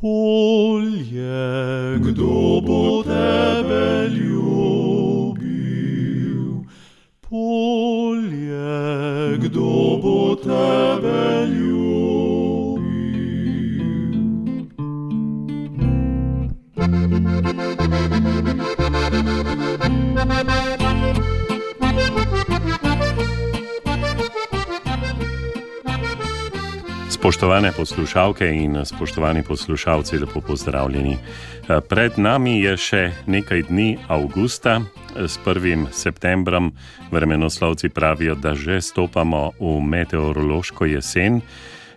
Polje, kdo bo tebe ljubil? Polje, kdo bo tebe ljubil? Spoštovane poslušalke in spoštovani poslušalci, lepo pozdravljeni. Pred nami je še nekaj dni avgusta. S 1. septembrom vremenoslovci pravijo, da že stopamo v meteorološko jesen.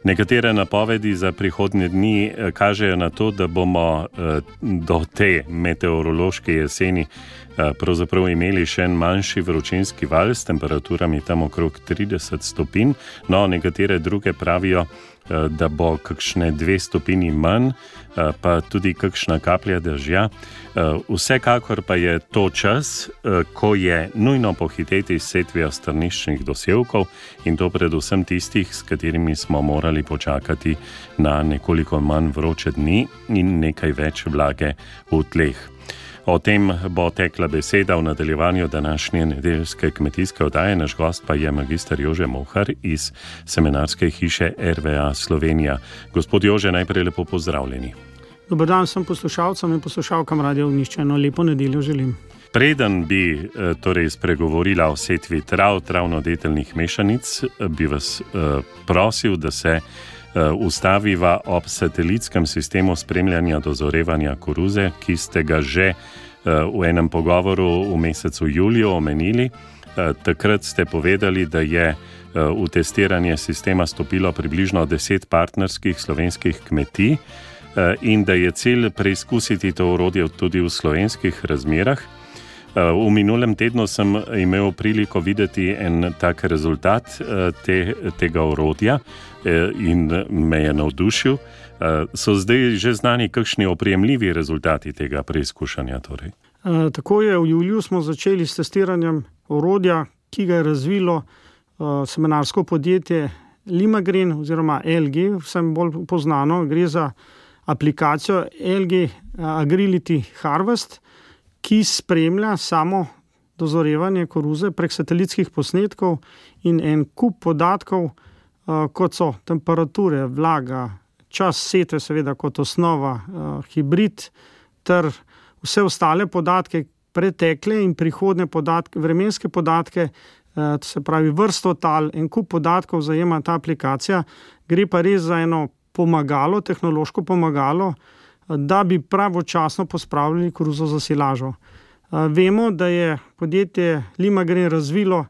Nekatere napovedi za prihodnje dni kažejo na to, da bomo do te meteorološke jeseni pravzaprav imeli še en manjši vročinski val s temperaturami tam okrog 30 stopinj. No, nekatere druge pravijo, da bo kakšne 2 stopinji manj, pa tudi kakšna kaplja dežja. Vsekakor pa je to čas, ko je nujno pohiteti s setvijo strniščnih dosevkov in to predvsem tistih, s katerimi smo morali počakati na nekoliko manj vroče dni in nekaj več vlage v tleh. O tem bo tekla beseda v nadaljevanju današnje nedeljske kmetijske oddaje. Naš gost pa je magister Jože Mohar iz semenarske hiše RVA Slovenija. Gospod Jože, najprej lepo pozdravljeni. Dober dan vsem poslušalcem in poslušalkam Radio Ognjišče. Eno lepo nedeljo želim. Preden bi torej spregovorila o setvi travnodeteljnih mešanic, bi vas prosil, da se ustaviva ob satelitskem sistemu spremljanja dozorevanja koruze, ki ste ga že v enem pogovoru v mesecu juliju omenili. Takrat ste povedali, da je v testiranje sistema stopilo približno 10 partnerskih slovenskih kmetij in da je cilj preizkusiti to orodje tudi v slovenskih razmerah. V minulem tednu sem imel priliko videti en tak rezultat tega orodja in me je navdušil. So zdaj že znani kakšni oprijemljivi rezultati tega preizkušanja? Torej? Tako je, v juliju smo začeli s testiranjem orodja, ki ga je razvilo semenarsko podjetje Limagrain oziroma LG, vsem bolj poznano. Gre za aplikacijo LG Agrility Harvest, ki spremlja samo dozorevanje koruze prek satelitskih posnetkov in en kup podatkov, kot so temperature, vlaga, čas setve seveda kot osnova, hibrid ter vse ostale podatke, pretekle in prihodne podatke, vremenske podatke, se pravi vrsto tal, en kup podatkov zajema ta aplikacija. Gre pa res za eno pomagalo, tehnološko pomagalo, da bi pravočasno pospravljali koruzo za silažo. Vemo, da je podjetje Limagrain razvilo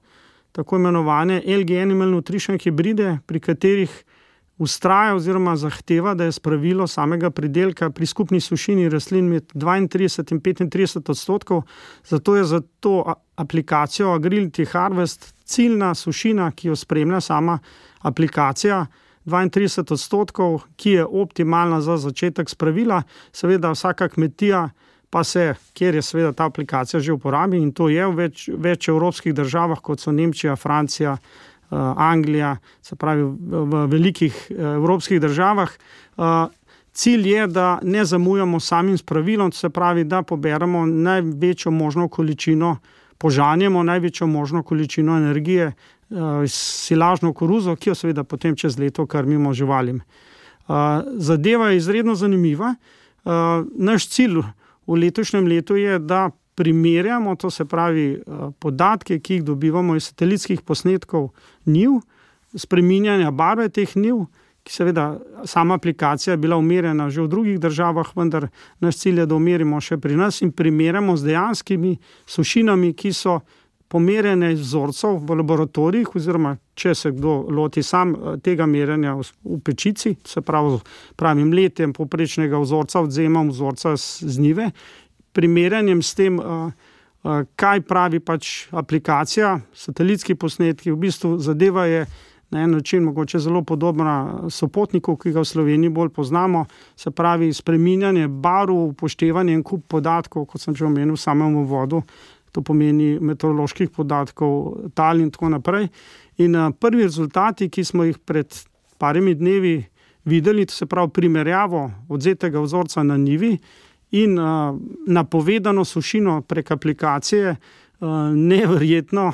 tako imenovane LG Animal Nutrition hibride, pri katerih vztraja oziroma zahteva, da je spravilo samega pridelka pri skupni sušini rastlin med 32 in 35 odstotkov. Zato je za to aplikacijo Agrility Harvest ciljna sušina, ki jo spremlja sama aplikacija, 32 odstotkov, ki je optimalna za začetek spravila. Seveda vsaka kmetija pa se, kjer je seveda ta aplikacija že uporabi, in to je v več evropskih državah, kot so Nemčija, Francija, Anglija, se pravi v velikih evropskih državah. Cilj je, da ne zamujamo samim spravilom, se pravi, da poberemo največjo možno količino, požanjemo največjo možno količino energije s silažno koruzo, ki jo seveda potem čez leto krmimo živalim. Zadeva je izredno zanimiva. Naš cilj v letošnjem letu je, da primerjamo, to se pravi podatke, ki jih dobivamo iz satelitskih posnetkov njiv, spreminjanja barve teh njiv, ki seveda sama aplikacija je bila umerjena že v drugih državah, vendar naš cilj je, da umerimo še pri nas in primerjamo z dejanskimi sušinami, ki so pomerjene iz vzorcev v laboratorijih, oziroma če se kdo loti sam tega merjenja v pečici, se pravi pravim letem povprečnega vzorca, odvzemam vzorca z njive, primerjanjem s tem, kaj pravi pač aplikacija, satelitski posnetki. V bistvu zadeva je na en način mogoče zelo podobna sopotniku, ki ga v Sloveniji bolj poznamo, se pravi spreminjanje barv, upoštevanje en kup podatkov, kot sem že omenil v samem uvodu, to pomeni meteoroloških podatkov, tal in tako naprej. In prvi rezultati, ki smo jih pred parimi dnevi videli, se pravi primerjavo odzetega vzorca na njivi in napovedano sušino prek aplikacije, neverjetno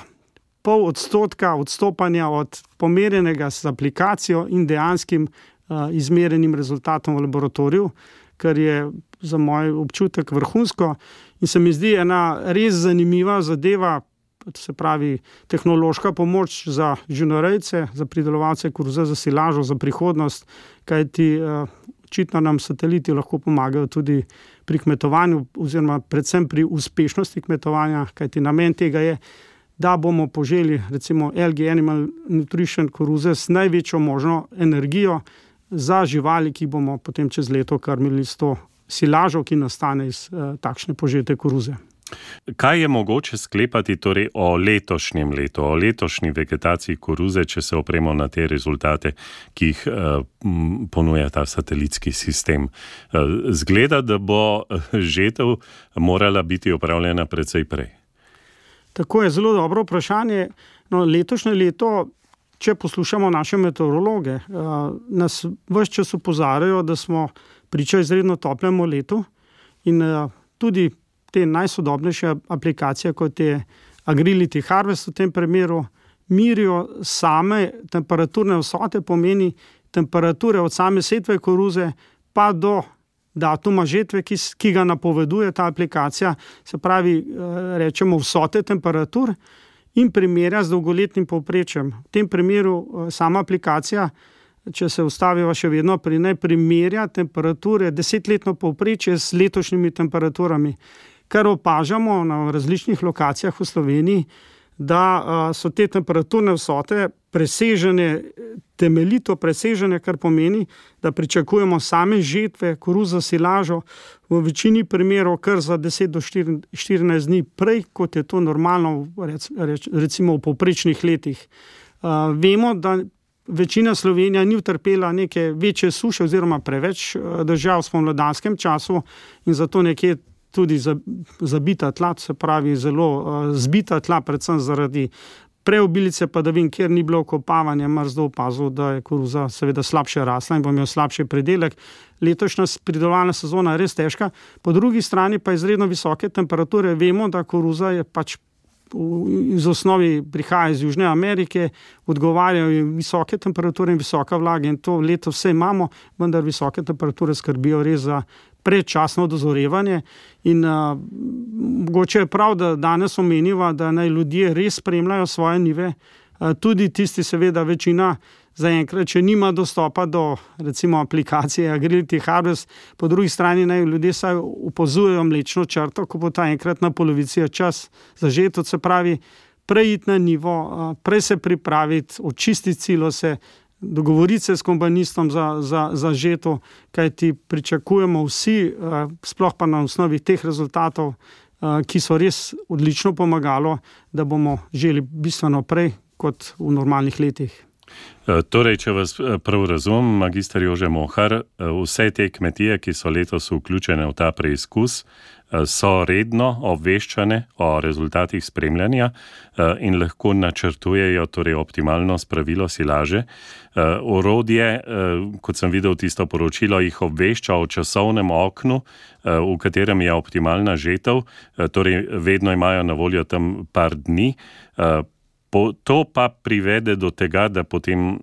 0,5% odstopanja od pomerjenega z aplikacijo in dejanskim izmerenim rezultatom v laboratoriju, kar je za moj občutek vrhunsko in se mi zdi ena res zanimiva zadeva, se pravi tehnološka pomoč za živinorejce, za pridelovalce koruze, za silažo, za prihodnost, kajti očitno nam sateliti lahko pomagajo tudi pri kmetovanju oziroma predvsem pri uspešnosti kmetovanja, kajti namen tega je, da bomo poželi recimo Algae Animal Nutrition koruze s največjo možno energijo za živali, ki bomo potem čez leto krmili s to silažo, ki nastane iz takšne požete koruze. Kaj je mogoče sklepati torej o letošnjem letu, o letošnji vegetaciji koruze, če se opremo na te rezultate, ki jih ponuja ta satelitski sistem? Zgleda, da bo žetev morala biti opravljena precej prej. Tako je, zelo dobro vprašanje. No, letošnje leto, če poslušamo naše meteorologe, nas ves čas opozarjajo, da smo priča izredno toplemu letu in tudi te najsodobnejše aplikacije, kot je Agrility Harvest v tem primeru, mirijo same temperaturne vsote, pomeni temperature od same setve koruze pa do datuma žetve, ki ga napoveduje ta aplikacija, se pravi, rečemo vsote temperatur in primerja z dolgoletnim povprečjem. V tem primeru sama aplikacija, če se ustaviva še vedno pri njej, primerja temperature 10-letno povprečje s letošnjimi temperaturami. Kar opažamo na različnih lokacijah v Sloveniji, da so te temperaturne vsote presežene, temeljito presežene, kar pomeni, da pričakujemo same žetve koruze silažo v večini primerov kar za 10 do 14 dni prej, kot je to normalno recimo v povprečnih letih. Vemo, da večina Slovenija ni utrpela neke večje suše oziroma preveč dežja v spomladanskem času in zato nekje tudi zabita tla, se pravi zelo zbita tla, predvsem zaradi preobilice padavin, kjer ni bilo okopavanja, mrzdo opazil, da je koruza seveda slabše rasla in bo imel slabši pridelek. Letošnja pridelovalna sezona je res težka, po drugi strani pa izredno visoke temperature. Vemo, da koruza je pač iz osnovi prihaja iz Južne Amerike, odgovarjajo visoke temperature in visoka vlaga in to leto vse imamo, vendar visoke temperature skrbijo res za predčasno dozorevanje in mogoče je prav, da danes omeniva, da naj ljudje res spremljajo svoje njive, tudi tisti seveda večina zaenkrat, če nima dostopa do recimo aplikacije Agrility Harvest, po drugi strani naj ljudje saj opazujejo mlečno črto, ko bo ta enkrat na polovici čas za žeto, se pravi prej iti na njivo, prej se pripraviti, očistiti silose, dogovoriti se s kombanistom za žeto, kajti pričakujemo vsi, sploh pa na osnovi teh rezultatov, ki so res odlično pomagalo, da bomo želi bistveno prej kot v normalnih letih. Torej, če vas prav razumem, magister Jože Mohar, vse te kmetije, ki so letos vključene v ta preizkus, so redno obveščane o rezultatih spremljanja in lahko načrtujejo torej optimalno spravilo silaže. Orodje, kot sem videl tisto poročilo, jih obvešča o časovnem oknu, v katerem je optimalna žetev, torej vedno imajo na voljo tam par dni. To pa privede do tega, da potem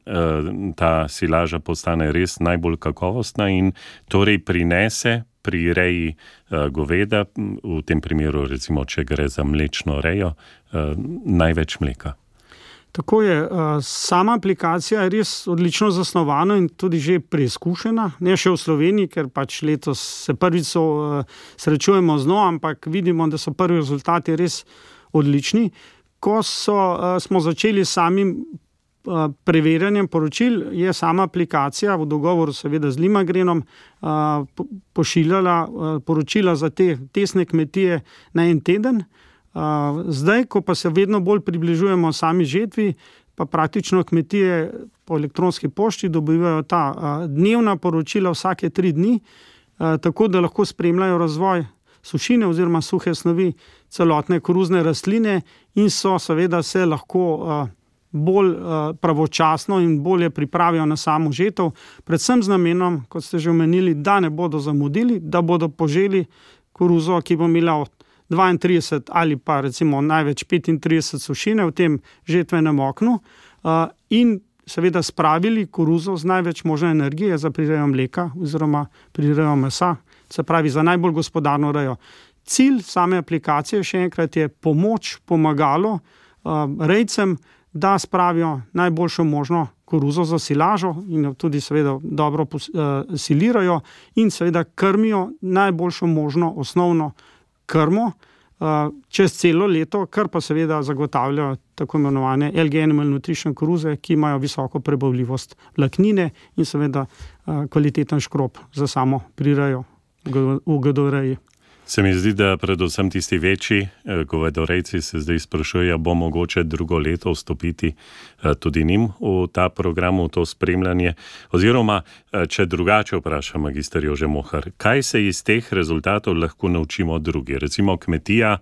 ta silaža postane res najbolj kakovostna in torej prinese pri reji goveda, v tem primeru recimo, če gre za mlečno rejo, največ mleka. Tako je, sama aplikacija je res odlično zasnovana in tudi že preizkušena, ne še v Sloveniji, ker pač letos se prvič srečujemo z njo, ampak vidimo, da so prvi rezultati res odlični. Ko smo začeli s samim preverjanjem poročil, je sama aplikacija v dogovoru seveda z Limagrenom pošiljala poročila za te testne kmetije na en teden. Zdaj, ko pa se vedno bolj približujemo sami žetvi, pa praktično kmetije po elektronski pošti dobivajo ta dnevna poročila vsake 3 dni, tako da lahko spremljajo razvoj sušine oziroma suhe snovi celotne koruzne rastline in so seveda se lahko bolj pravočasno in bolje pripravijo na samo žetev, predvsem z namenom, kot ste že omenili, da ne bodo zamudili, da bodo poželi koruzo, ki bo imela 32 ali pa recimo največ 35 sušine v tem žetvenem oknu in seveda spravili koruzo z največ možne energije za prirejo mleka oziroma prirejo mesa, se pravi za najbolj gospodarno rejo. Cilj same aplikacije, še enkrat, je pomoč, pomagalo rejcem, da spravijo najboljšo možno koruzo za silažo in jo tudi seveda dobro silirajo in seveda krmijo najboljšo možno osnovno krmo čez celo leto, kar pa seveda zagotavljajo tako imenovane LG Animal Nutrition koruze, ki imajo visoko prebavljivost vlaknine in seveda kvaliteten škrob za samo prirejo v govedoreji. Se mi zdi, da predvsem tisti večji govedorejci se zdaj sprašujejo, bo mogoče drugo leto vstopiti tudi njim v ta program, v to spremljanje. Oziroma, če drugače vprašam magister Jože Mohar, kaj se iz teh rezultatov lahko naučimo drugi? Recimo kmetija,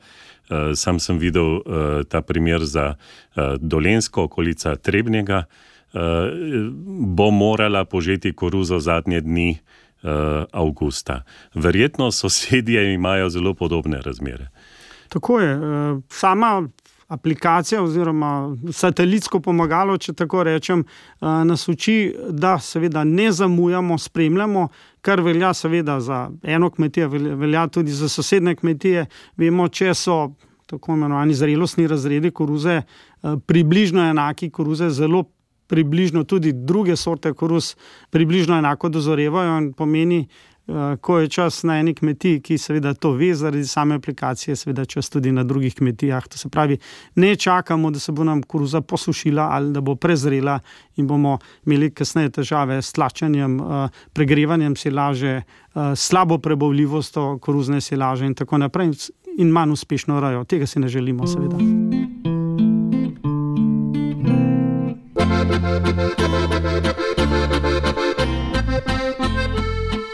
sam sem videl ta primer za Dolenjsko, okolica Trebnjega, bo morala požeti koruzo zadnje dni avgusta. Verjetno sosedje imajo zelo podobne razmere. Tako je. Sama aplikacija oziroma satelitsko pomagalo, če tako rečem, nas uči, da seveda ne zamujamo, spremljamo, kar velja seveda za eno kmetijo, velja tudi za sosednje kmetije. Vemo, če so tako imenovani zrelostni razredi koruze približno enaki, koruze zelo približno tudi druge sorte koruz približno enako dozorevajo in pomeni, ko je čas na eni kmetiji, ki seveda to ve zaradi same aplikacije, seveda čas tudi na drugih kmetijah. To se pravi, ne čakamo, da se bo nam koruza posušila ali da bo prezrela in bomo imeli kasneje težave s tlačenjem, pregrevanjem silaže, slabo prebavljivostjo koruzne silaže in tako naprej in manj uspešno rejo. Tega si ne želimo seveda.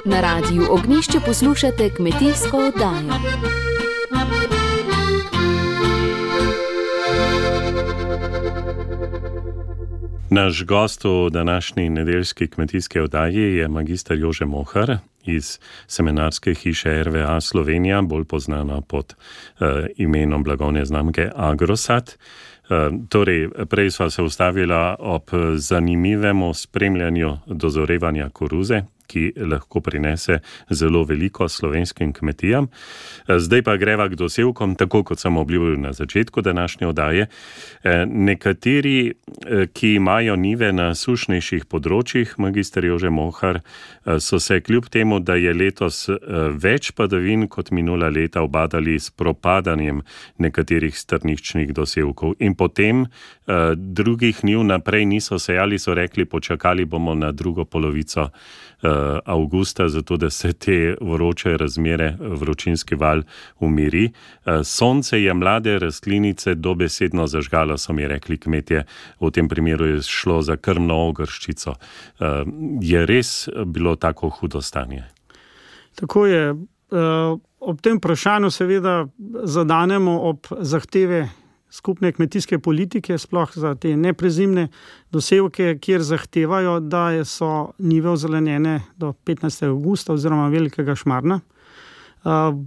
Na Radiu Ognjišče poslušate kmetijsko oddajo. Naš gost v današnji nedeljski kmetijski oddaji je magister Jože Mohar iz semenarske hiše RVA Slovenija, bolj poznana pod imenom blagovne znamke Agrosat. Torej, prej sva se ustavila ob zanimivemu spremljanju dozorevanja koruze, ki lahko prinese zelo veliko slovenskim kmetijam. Zdaj pa greva k dosevkom, tako kot sem obljubil na začetku današnje oddaje. Nekateri, ki imajo njive na sušnejših področjih, magister Jože Mohar, so se kljub temu, da je letos več padavin kot minula leta, ubadali s propadanjem nekaterih strniščnih dosevkov. In potem drugih njiv naprej niso sejali, so rekli, počakali bomo na drugo polovico avgusta, zato da se te vroče razmere, vročinski val umiri. Sonce je mlade rastlinice dobesedno zažgalo, so mi rekli kmetje. V tem primeru je šlo za krmno ogrščico. Je res bilo tako hudo stanje? Tako je. Ob tem vprašanju seveda zadanemo ob zahteve skupne kmetijske politike, sploh za te neprezimne dosevke, kjer zahtevajo, da so njive ozelenjene do 15. avgusta oziroma velikega šmarna.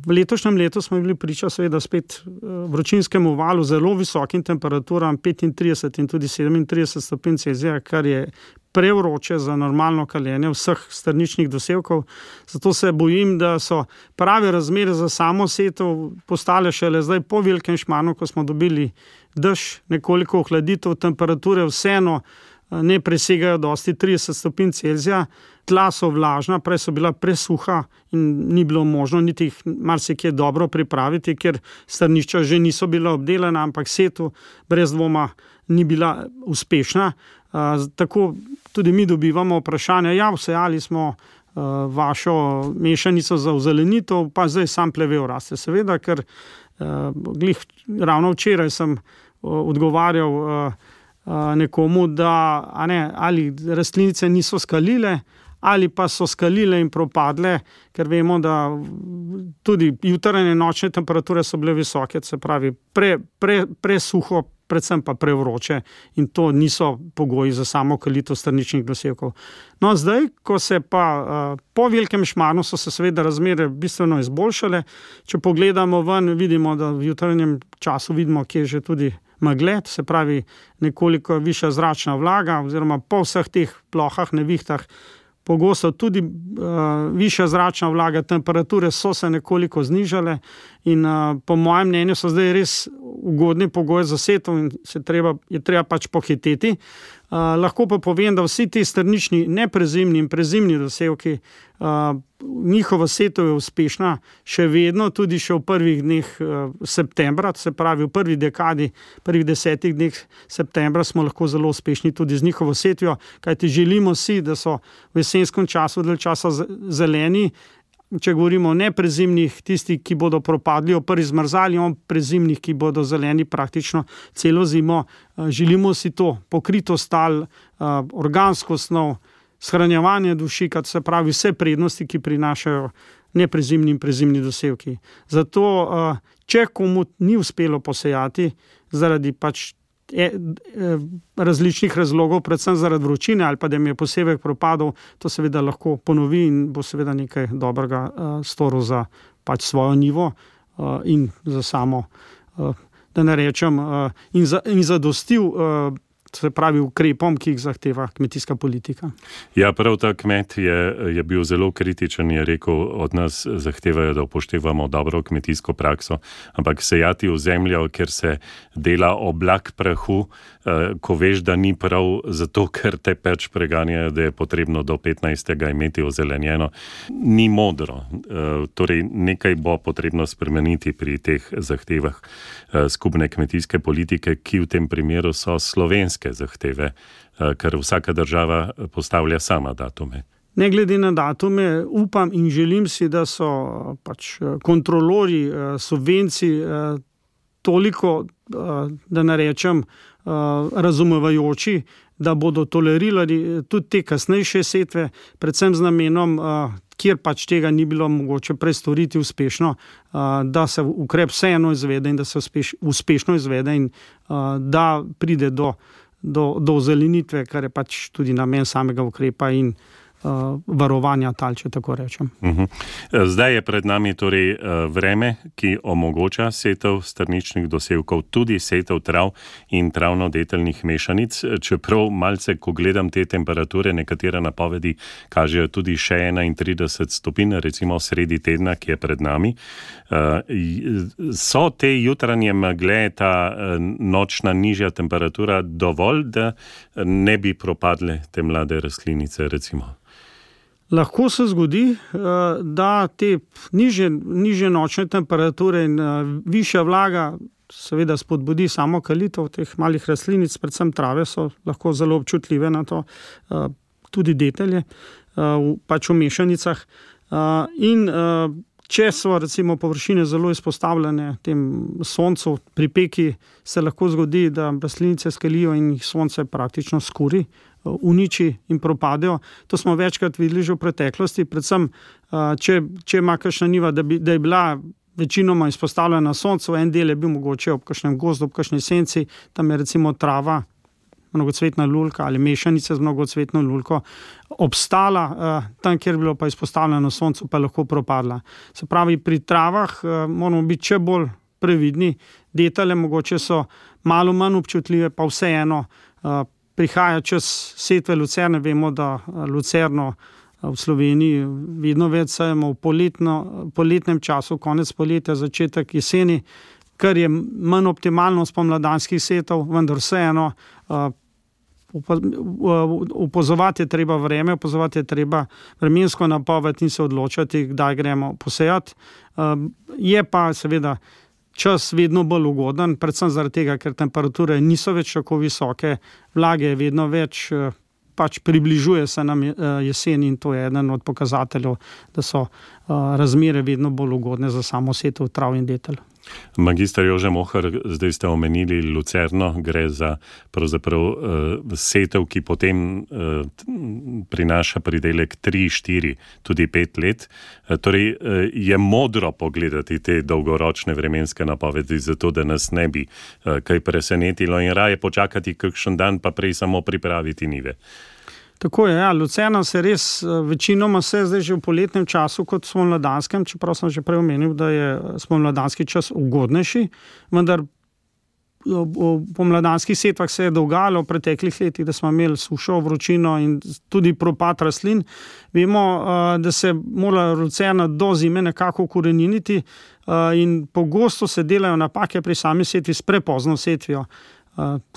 V letošnjem letu smo bili priča seveda spet vročinskemu valu, zelo visokim temperaturam, 35 in tudi 37 stopinj Celzija, kar je prevroče za normalno kaljenje vseh strničnih dosevkov. Zato se bojim, da so prave razmere za samo setev postale šele zdaj po velikem šmarnu, ko smo dobili dež, nekoliko ohladitev, temperature vseeno ne presegajo dosti 30 stopinj Celzija. Tla so vlažna, prej so bila presuha in ni bilo možno niti jih marsikje dobro pripraviti, ker strnišča že niso bila obdelana, ampak setev brez dvoma ni bila uspešna. Tako tudi mi dobivamo vprašanja, vsejali smo vašo mešanico za ozelenitev, pa zdaj sam plevel raste. Seveda, ker ravno včeraj sem odgovarjal nekomu, da ali rastlinice niso skalile, ali pa so skalile in propadle, ker vemo, da tudi jutranje nočne temperature so bile visoke, se pravi presuho, predvsem pa prevroče in to niso pogoji za samo kalitev strničnih dosevkov. No, zdaj, ko se pa po velikem šmarnu so se seveda razmere bistveno izboljšale, če pogledamo ven, vidimo, da v jutranjem času vidimo, kje je že tudi megle, se pravi nekoliko višja zračna vlaga oziroma po vseh teh plohah, nevihtah, pogosto tudi višja zračna vlaga, temperature so se nekoliko znižale in po mojem mnenju so zdaj res ugodni pogoji za setev in je treba pač pohiteti. Lahko pa povem, da vsi ti strnični neprezimni in prezimni dosevki, njihova setev je uspešna še vedno, tudi še v prvih dneh septembra, se pravi v prvi dekadi, prvih 10 dneh septembra smo lahko zelo uspešni tudi z njihovo setvijo, kajti želimo si, da so v jesenskem času dalj časa zeleni. Če govorimo o neprezimnih, tisti, ki bodo propadli, o prvi zmrzali, o prezimnih, ki bodo zeleni praktično celo zimo. Želimo si to pokritost tal, organsko snov, shranjevanje dušika, se pravi vse prednosti, ki prinašajo neprezimni in prezimni dosevki. Zato, če komu ni uspelo posejati zaradi pač različnih razlogov, predvsem zaradi vročine ali pa da mi je posevek propadel, to seveda lahko ponovi in bo seveda nekaj dobrega storil za pač svojo njivo in za samo, da ne rečem, in zadostil se pravi ukrepom, ki jih zahteva kmetijska politika. Ja, prav ta kmet je bil zelo kritičen, je rekel, od nas zahtevajo, da upoštevamo dobro kmetijsko prakso, ampak sejati v zemljo, ker se dela oblak prahu, ko veš, da ni prav, zato ker te pač preganjajo, da je potrebno do 15. imeti ozelenjeno, ni modro. Torej, nekaj bo potrebno spremeniti pri teh zahtevah skupne kmetijske politike, ki v tem primeru so slovenske zahteve, ker vsaka država postavlja sama datume. Ne glede na datume, upam in želim si, da so pač kontrolori subvencij toliko, da ne rečem, razumevajoči, da bodo tolerirali tudi te kasnejše setve, predvsem z namenom, kjer pač tega ni bilo mogoče prestoriti uspešno, da se ukrep vseeno izvede in da se uspešno izvede in da pride do ozelenitve, kar je pač tudi namen samega ukrepa in varovanja tal, če tako rečem. Zdaj je pred nami torej vreme, ki omogoča setev strničnih dosevkov, tudi setev trav in travno-deteljnih mešanic. Čeprav malce, ko gledam te temperature, nekatere napovedi kažejo tudi še 31 stopinj, recimo sredi tedna, ki je pred nami. So te jutranje megle, ta nočna nižja temperatura dovolj, da ne bi propadle te mlade rastlinice, recimo? Lahko se zgodi, da te nižje nočne temperature in višja vlaga seveda spodbudi samo kalitev teh malih rastlinic, predvsem trave so lahko zelo občutljive na to, tudi detelje, pač v mešanicah. In če so recimo površine zelo izpostavljene tem soncu, pri peki se lahko zgodi, da rastlinice skalijo in jih sonce praktično skuri, uniči in propadejo. To smo večkrat videli že v preteklosti, predvsem če ima kakšna njiva, da je bila večinoma izpostavljena soncu, en del je bil mogoče ob kakšnem gozdu, ob kakšni senci, tam je recimo trava, mnogocvetna lulka ali mešanice z mnogocvetno lulko obstala, tam, kjer je bilo pa izpostavljeno soncu, pa lahko propadla. Se pravi, pri travah moramo biti še bolj previdni, detelje mogoče so malo manj občutljive, pa vseeno prihaja čas setve lucerne, vemo, da lucerno v Sloveniji vedno več sajemo v poletnem času, konec poletja, začetek jeseni, kar je manj optimalno spomladanskih setov, vendar vseeno opazovati je treba vreme, opazovati je treba vremensko napoved in se odločati, kdaj gremo posejati. Je pa seveda čas vedno bolj ugoden, predvsem zaradi tega, ker temperature niso več tako visoke, vlage je vedno več, pač približuje se nam jesen in to je eden od pokazateljev, da so razmere vedno bolj ugodne za samo setev trav in detelj. Magister Jože Mohar, zdaj ste omenili lucerno, gre za pravzaprav setev, ki potem prinaša pridelek 3, 4, tudi 5 let. Torej je modro pogledati te dolgoročne vremenske napovedi, zato da nas ne bi kaj presenetilo in raje počakati kakšen dan, pa prej samo pripraviti njive. Tako je, ja, lucerna se res večinoma zdaj že v poletnem času kot spomladanskem, čeprav sem že prej omenil, da je spomladanski čas ugodnejši, vendar v pomladanskih setvah se je dogajalo v preteklih letih, da smo imeli sušo, vročino in tudi propad rastlin. Vemo, da se mora lucerna do zime nekako ukoreniniti in pogosto se delajo napake pri sami setvi s prepozno setvijo.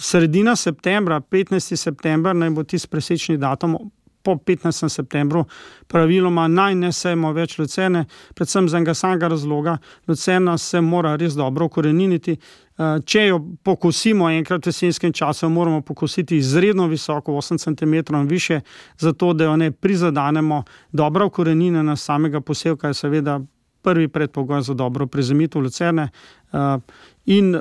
Sredina septembra, 15. september, naj bo tisti presečni datum, po 15. septembru praviloma naj ne sejemo več lucerne, predvsem z enega samega razloga, lucerna se mora res dobro ukoreniniti. Če jo pokosimo enkrat v jesenskem času, moramo pokositi izredno visoko, 8 cm in više, zato da jo ne prizadanemo. Dobra ukoreninjena samega posevka je seveda prvi predpogoj za dobro prezimitev lucerne in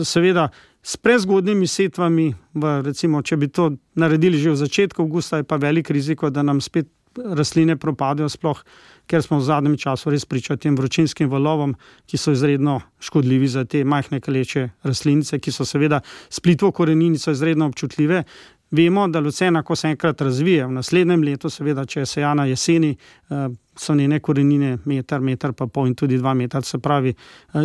seveda s prezgodnimi setvami, recimo, če bi to naredili že v začetku avgusta, je pa velik riziko, da nam spet rastline propadajo, sploh ker smo v zadnjem času res priča tem vročinskim valovom, ki so izredno škodljivi za te majhne kaleče rastlinice, ki so seveda s plitvo koreninico izredno občutljive. Vemo, da lucerna, ko se enkrat razvije, v naslednjem letu, seveda, če je sejana jeseni, so njene korenine meter pa pol in tudi 2 metra, se pravi,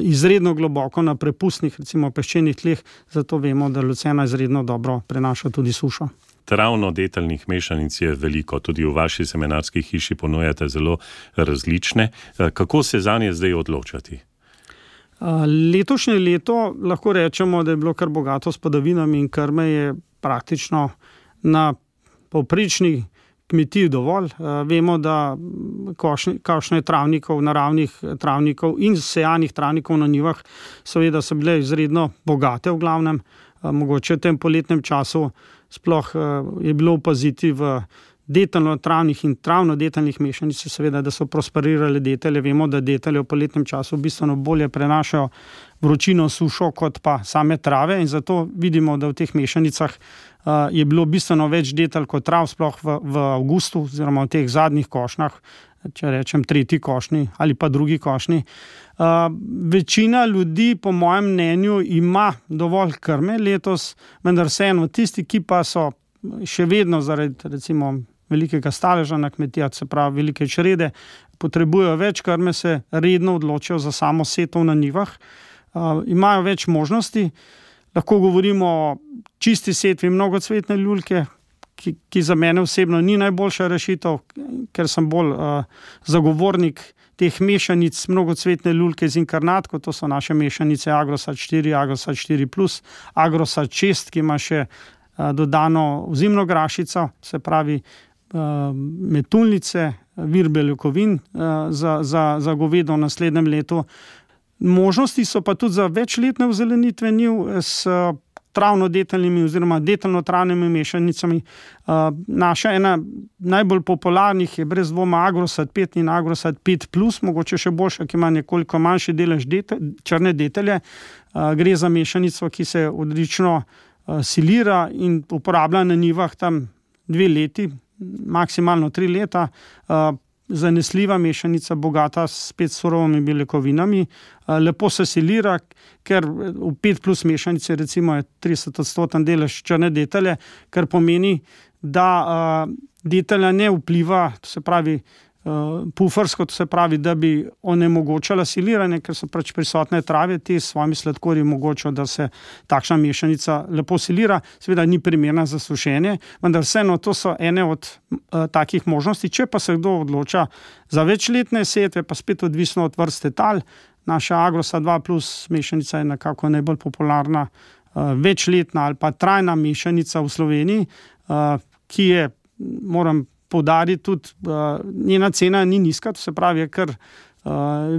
izredno globoko na prepustnih, recimo peščenih tleh, zato vemo, da lucerna izredno dobro prenaša tudi sušo. Travno-deteljnih mešanic je veliko, tudi v vaši semenarski hiši ponujate zelo različne. Kako se zanje zdaj odločati? Letošnje leto lahko rečemo, da je bilo kar bogato s padavinami in krme je praktično na povprečni kmetiji dovolj. Vemo, da košnje travnikov, naravnih travnikov in sejanih travnikov na njivah seveda so bile izredno bogate v glavnem. Mogoče v tem poletnem času sploh je bilo opaziti v deteljno-travnih in travno-deteljnih mešanic, seveda, da so prosperirale detelje. Vemo, da detelje v poletnem času bistveno bolje prenašajo vročino, sušo kot pa same trave in zato vidimo, da v teh mešanicah je bilo bistveno več detelj kot trav, sploh v avgustu oziroma v teh zadnjih košnjah, če rečem 3. košnji ali pa 2. košnji. Večina ljudi, po mojem mnenju, ima dovolj krme letos, vendar vseeno tisti, ki pa so še vedno zaradi recimo velikega staleža na kmetijah, se pravi velike črede, potrebujejo več krme, se redno odločijo za samo setov na njivah. Imajo več možnosti. Lahko govorimo o čisti setvi mnogocvetne ljulke, ki za mene osebno ni najboljša rešitev, ker sem bolj zagovornik teh mešanic mnogocvetne ljulke z inkarnatko, to so naše mešanice Agrosad 4, Agrosad 4+, Agrosad 6, ki ima še dodano ozimno grašico, se pravi metulnice, vir beljakovin za govedo v naslednjem letu. Možnosti so pa tudi za večletne ozelenitve njiv s travno-deteljnimi oziroma deteljno-travnimi mešanicami. Naša ena najbolj popularnih je brez dvoma Agrosad 5 in Agrosad 5+, mogoče še boljša, ki ima nekoliko manjši delež črne detelje. Gre za mešanico, ki se odlično silira in uporablja na njivah tam 2 leti, maksimalno 3 leta. Zanesljiva mešanica, bogata spet surovimi beljakovinami, lepo se silira, ker v 5+ mešanici recimo je 30% delež črne detelje, kar pomeni, da detelja ne vpliva, to se pravi pufersko, to se pravi, da bi onemogočala siliranje, ker so pač prisotne trave, te s svojimi sladkorji omogočajo, da se takšna mešanica lepo silira, seveda ni primerna za sušenje, vendar vseeno to so ene od takih možnosti. Če pa se kdo odloča za večletne setve, pa spet odvisno od vrste tal, naša Agrosad 2+ mešanica je nekako najbolj popularna večletna ali pa trajna mešanica v Sloveniji, ki je, moram poudariti tudi, njena cena ni nizka, to se pravi, je kar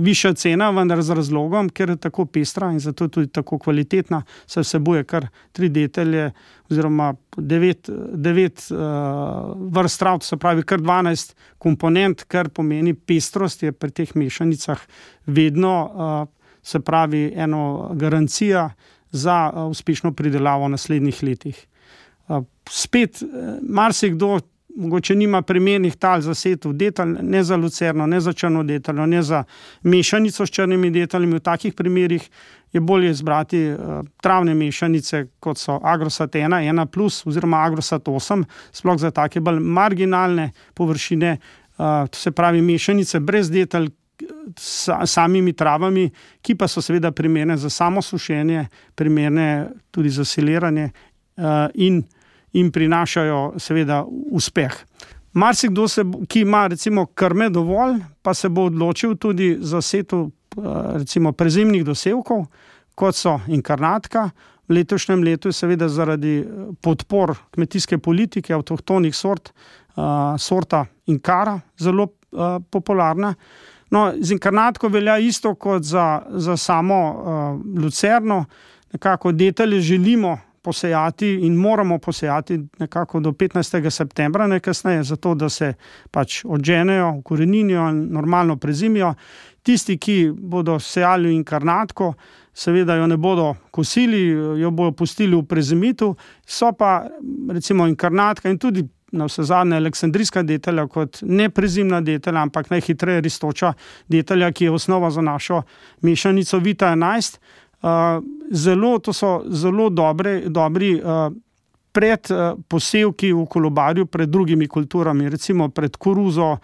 višja cena, vendar z razlogom, ker je tako pestra in zato je tudi tako kvalitetna, se vsebuje kar 3 detelje oziroma 9 vrst trav, to se pravi kar 12 komponent, kar pomeni pestrost je pri teh mešanicah vedno se pravi eno garancija za uspešno pridelavo v naslednjih letih. Spet marsikdo mogoče nima primernih tal za setev detelj, ne za lucerno, ne za črno deteljo, ne za mešanico s črnimi deteljami. V takih primerih je bolje izbrati travne mešanice, kot so Agrosat 1, 1+, oziroma Agrosat 8, sploh za take bolj marginalne površine, to se pravi mešanice brez detelj, samimi travami, ki pa so seveda primerne za samo sušenje, primerne tudi za siliranje in prinašajo seveda uspeh. Marsikdo, ki ima recimo krme dovolj, pa se bo odločil tudi za setev recimo prezimnih dosevkov, kot so inkarnatka. V letošnjem letu je seveda zaradi podpor kmetijske politike avtohtonih sorta inkara zelo popularna. No, z inkarnatko velja isto kot za samo lucerno. Nekako detelje želimo posejati in moramo posejati nekako do 15. septembra najkasneje, zato da se pač odženejo, ukoreninijo in normalno prezimijo. Tisti, ki bodo sejali inkarnatko, seveda jo ne bodo kosili, jo bodo pustili v prezimitu, so pa recimo inkarnatka in tudi navsezadnje aleksandrijska detelja kot neprezimna detelja, ampak najhitreje rastoča detelja, ki je osnova za našo mešanico Vita 11. To so zelo dobri predposevki v kolobarju pred drugimi kulturami, recimo pred koruzo,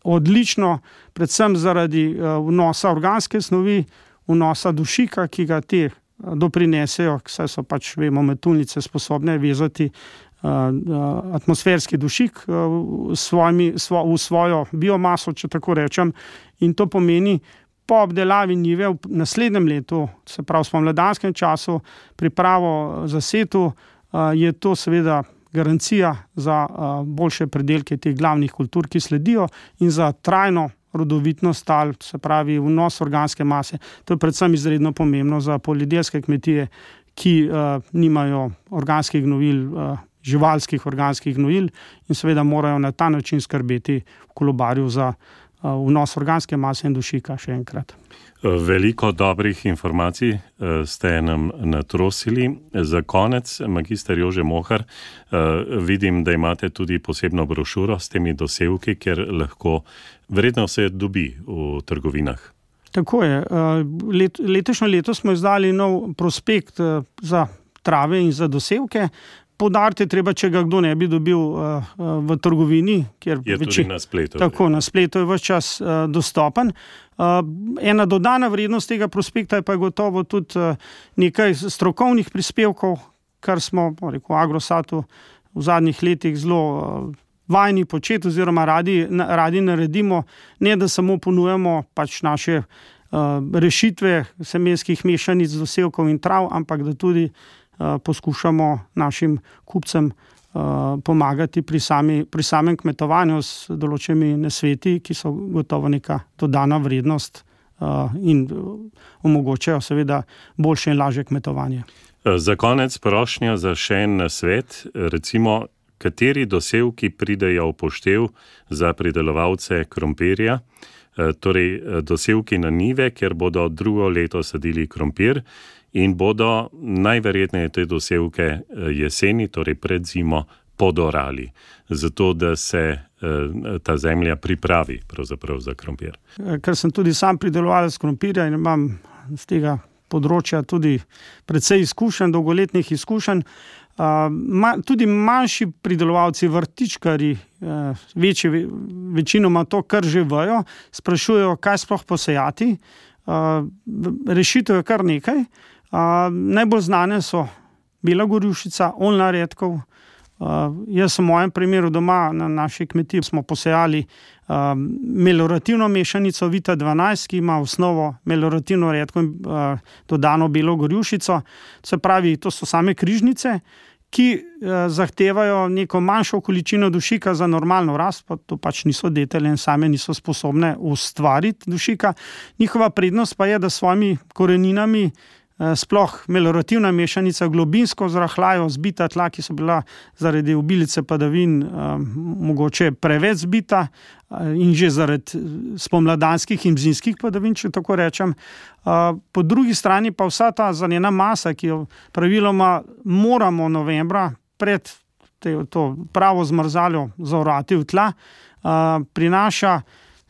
odlično, predvsem zaradi vnosa organske snovi, vnosa dušika, ki ga te doprinesejo, saj so pač, vemo, metuljnice sposobne vezati atmosferski dušik v svojo biomaso, če tako rečem, in to pomeni, po obdelavi njive v naslednjem letu, se pravi v spomladanskem času, pripravo za setev, je to seveda garancija za boljše pridelke teh glavnih kultur, ki sledijo, in za trajno rodovitnost tal, se pravi vnos organske mase. To je predvsem izredno pomembno za poljedelske kmetije, ki nimajo organskih gnojil, živalskih organskih gnojil, in seveda morajo na ta način skrbeti v kolobarju za vnos organske mase in dušika, še enkrat. Veliko dobrih informacij ste nam natrosili. Za konec, magister Jože Mohar, vidim, da imate tudi posebno brošuro s temi dosevki, ker lahko verjetno se dobi v trgovinah. Tako je. Letošnje leto smo izdali nov prospekt za trave in za dosevke. Poudariti je treba, če ga kdo ne bi dobil v trgovini, kjer je tudi na spletu. Tako, na spletu je ves čas dostopen. Ena dodana vrednost tega prospekta je pa gotovo tudi nekaj strokovnih prispevkov, kar smo v Agrosatu v zadnjih letih zelo vajeni početi oziroma radi naredimo, ne da samo ponujamo pač naše rešitve semenskih mešanic dosevkov in trav, ampak da tudi poskušamo našim kupcem pomagati pri samem kmetovanju s določenimi nasveti, ki so gotovo neka dodana vrednost in omogočajo seveda boljše in lažje kmetovanje. Za konec prošnja za še en nasvet, recimo, kateri dosevki pridejo v poštev za pridelovalce krompirja, torej dosevki na njive, kjer bodo drugo leto sadili krompir, in bodo najverjetneje te dosevke jeseni, torej pred zimo, podorali, zato da se ta zemlja pripravi pravzaprav za krompir. Ker sem tudi sam pridelovalec krompirja in imam z tega področja tudi precej izkušenj, dolgoletnih izkušenj, tudi manjši pridelovalci, vrtičkarji, večinoma to kar že vejo, sprašujejo, kaj sploh posejati. Rešitev je kar nekaj. Najbolj znane so bela gorjušica, oljna redkev. Jaz v mojem primeru doma na naši kmetiji smo posejali melorativno mešanico Vita 12, ki ima osnovo melorativno redkev in dodano belo gorjušico. Se pravi, to so same križnice, ki zahtevajo neko manjšo količino dušika za normalno rast, pa to pač niso detelje in same niso sposobne ustvariti dušika. Njihova prednost pa je, da s svojimi koreninami sploh meliorativna mešanica globinsko zrahljajo, zbita tla, ki so bila zaradi obilice padavin mogoče preveč zbita in že zaradi spomladanskih in zimskih padavin, če tako rečem. Po drugi strani pa vsa ta zanjena masa, ki jo praviloma moramo novembra pred to pravo zmrzaljo zaorati v tla, prinaša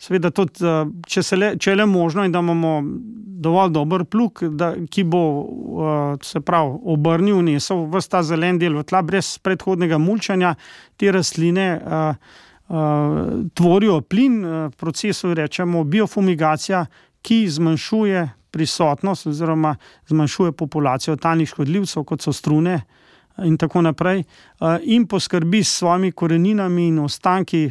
seveda tudi, če le možno in da imamo dovolj dober plug, ki bo se pravi obrnil, nesel ves ta zelen del v tla brez predhodnega mulčanja, te rastline tvorijo plin, procesu rečemo biofumigacija, ki zmanjšuje prisotnost oziroma zmanjšuje populacijo talnih škodljivcev, kot so strune in tako naprej, in poskrbi s svojimi koreninami in ostanki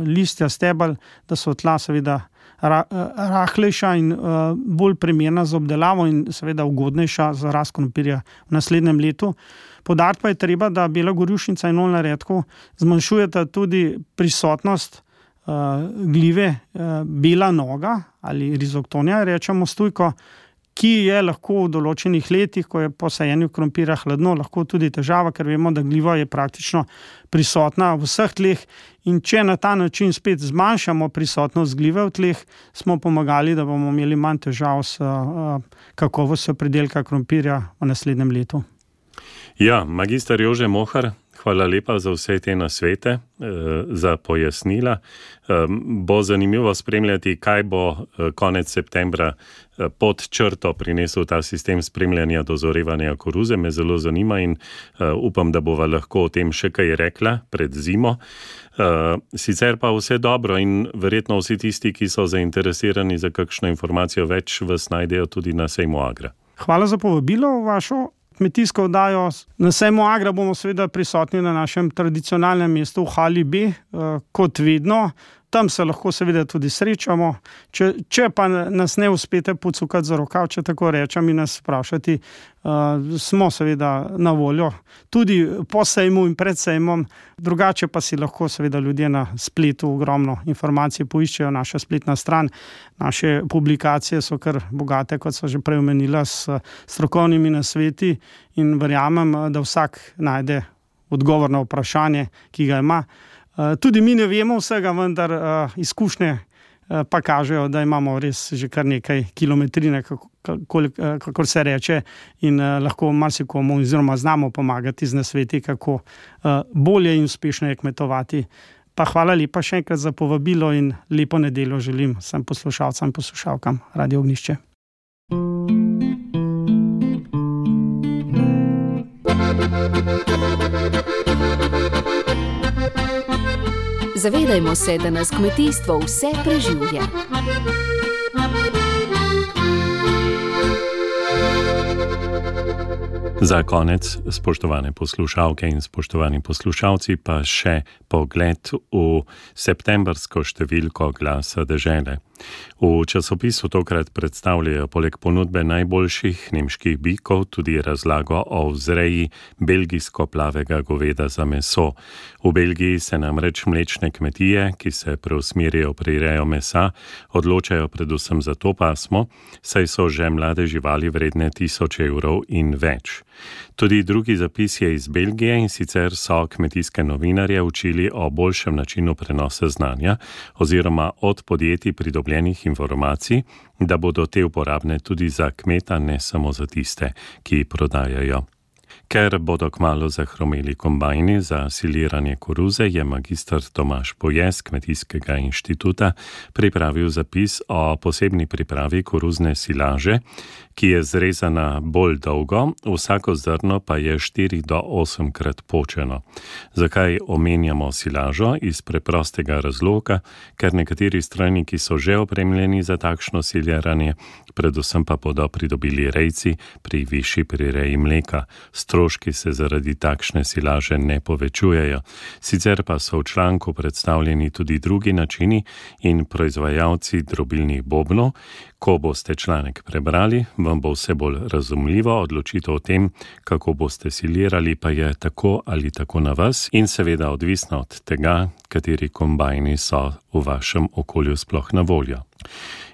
listja, stebel, da so tla seveda rahlejša in bolj primerna za obdelavo in seveda ugodnejša za rast krompirja v naslednjem letu. Poudariti pa je treba, da bela gorjušnica in oljna redkev zmanjšujeta tudi prisotnost glive bela noga ali rizoktonija, rečemo stujko, ki je lahko v določenih letih, ko je po sajenju krompirja hladno, lahko tudi težava, ker vemo, da gliva je praktično prisotna v vseh tleh in če na ta način spet zmanjšamo prisotnost glive v tleh, smo pomagali, da bomo imeli manj težav s kakovostjo pridelka krompirja v naslednjem letu. Ja, magister Jože Mohar, hvala lepa za vse te nasvete, za pojasnila. Bo zanimivo spremljati, kaj bo konec septembra pod črto prinesel ta sistem spremljanja dozorevanja koruze. Me zelo zanima in upam, da bova lahko o tem še kaj rekla pred zimo. Sicer pa vse dobro in verjetno vsi tisti, ki so zainteresirani za kakšno informacijo več, vas najdejo tudi na sejmu Agra. Hvala za povabilo v vašo kmetijsko oddajo. Na sejmu Agra bomo seveda prisotni na našem tradicionalnem mestu v Hali B, kot vedno. Tam se lahko seveda tudi srečamo. Če pa nas ne uspete pocukati za rokav, če tako rečem, in nas vprašati, smo seveda na voljo tudi po sejmu in pred sejmom. Drugače pa si lahko seveda ljudje na spletu ogromno informacij poiščejo, naša spletna stran. Naše publikacije so kar bogate, kot so že prej omenila, s strokovnimi nasveti in verjamem, da vsak najde odgovor na vprašanje, ki ga ima. Tudi mi ne vemo vsega, vendar izkušnje pa kažejo, da imamo res že kar nekaj kilometrine, kakor se reče, in lahko marsikomu oziroma znamo pomagati z nasveti, kako bolje in uspešneje kmetovati. Pa hvala lepa še enkrat za povabilo in lepo nedeljo želim vsem poslušalcem in poslušalkam Radio Ognjišče. Zavedajmo se, da nas kmetijstvo vse preživlja. Za konec, spoštovane poslušalke in spoštovani poslušalci, pa še pogled v septembrsko številko Glasa dežele. V časopisu tokrat predstavljajo poleg ponudbe najboljših nemških bikov tudi razlago o vzreji belgijsko-plavega goveda za meso. V Belgiji se namreč mlečne kmetije, ki se preusmerijo pri rejo mesa, odločajo predvsem za to pasmo, saj so že mlade živali vredne 1000 evrov in več. Tudi drugi zapis je iz Belgije, in sicer so kmetijske novinarje učili o boljšem načinu prenosa znanja oziroma od podjetij pridobljenih informacij, da bodo te uporabne tudi za kmeta, ne samo za tiste, ki prodajajo. Ker bodo kmalu zahromeli kombajni za siliranje koruze, je magister Tomaž Poje z Kmetijskega inštituta pripravil zapis o posebni pripravi koruzne silaže, ki je zrezana bolj dolgo, vsako zrno pa je 4 do 8 krat počeno. Zakaj omenjamo silažo? Iz preprostega razloga, ker nekateri strojniki so že opremljeni za takšno siliranje, predvsem pa bodo pridobili rejci pri višji prireji mleka. Stroški se zaradi takšne silaže ne povečujejo. Sicer pa so v članku predstavljeni tudi drugi načini in proizvajalci drobilnih bobnov. Ko boste članek prebrali, vam bo vse bolj razumljivo. Odločitev o tem, kako boste silirali, pa je tako ali tako na vas in seveda odvisno od tega, kateri kombajni so v vašem okolju sploh na voljo.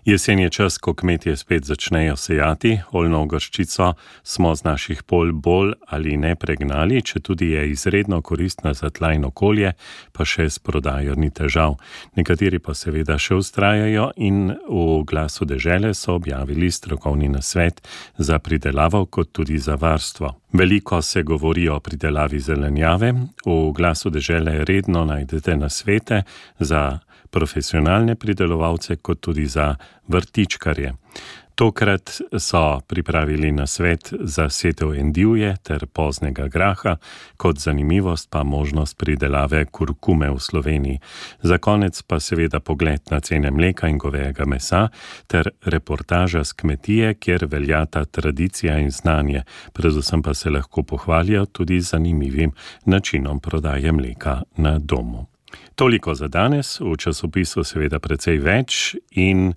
Jesen je čas, ko kmetje spet začnejo sejati. Oljno gorščico smo z naših polj bolj ali ne pregnali, četudi je izredno koristna za tla in okolje, pa še s prodajo ni težav. Nekateri pa seveda še vztrajajo in v Glasu dežele so objavili strokovni nasvet za pridelavo kot tudi za varstvo. Veliko se govori o pridelavi zelenjave. V Glasu dežele redno najdete nasvete za profesionalne pridelovalce kot tudi za vrtičkarje. Tokrat so pripravili nasvet za setev endivje ter poznega graha, kot zanimivost pa možnost pridelave kurkume v Sloveniji. Za konec pa seveda pogled na cene mleka in govejega mesa ter reportaža s kmetije, kjer veljata tradicija in znanje, predvsem pa se lahko pohvalijo tudi zanimivim načinom prodaje mleka na domu. Toliko za danes, v časopisu seveda precej več in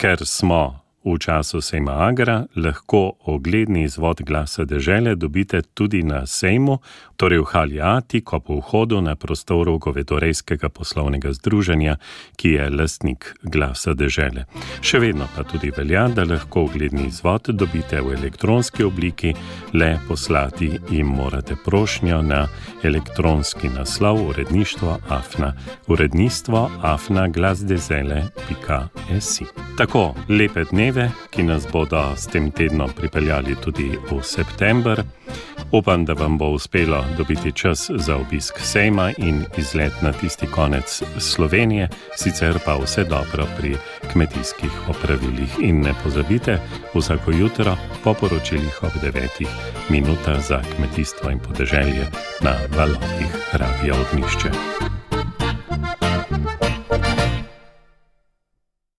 ker smo v času sejma Agra, lahko ogledni izvod Glasa dežele dobite tudi na sejmu, torej v hali A, tik ob vhodu na prostoru Govedorejskega poslovnega združenja, ki je lastnik Glasa dežele. Še vedno pa tudi velja, da lahko ogledni izvod dobite v elektronski obliki, le poslati jim morate prošnjo na elektronski naslov uredništvo@glasdezele.si. Tako, lepe dneve, ki nas bodo s tem tednom pripeljali tudi v september. Upam, da vam bo uspelo dobiti čas za obisk sejma in izlet na tisti konec Slovenije, sicer pa vse dobro pri kmetijskih opravilih. In ne pozabite, vsako jutro po poročilih ob 9 minuta za kmetijstvo in podeželje na valovih Radia Ognjišče.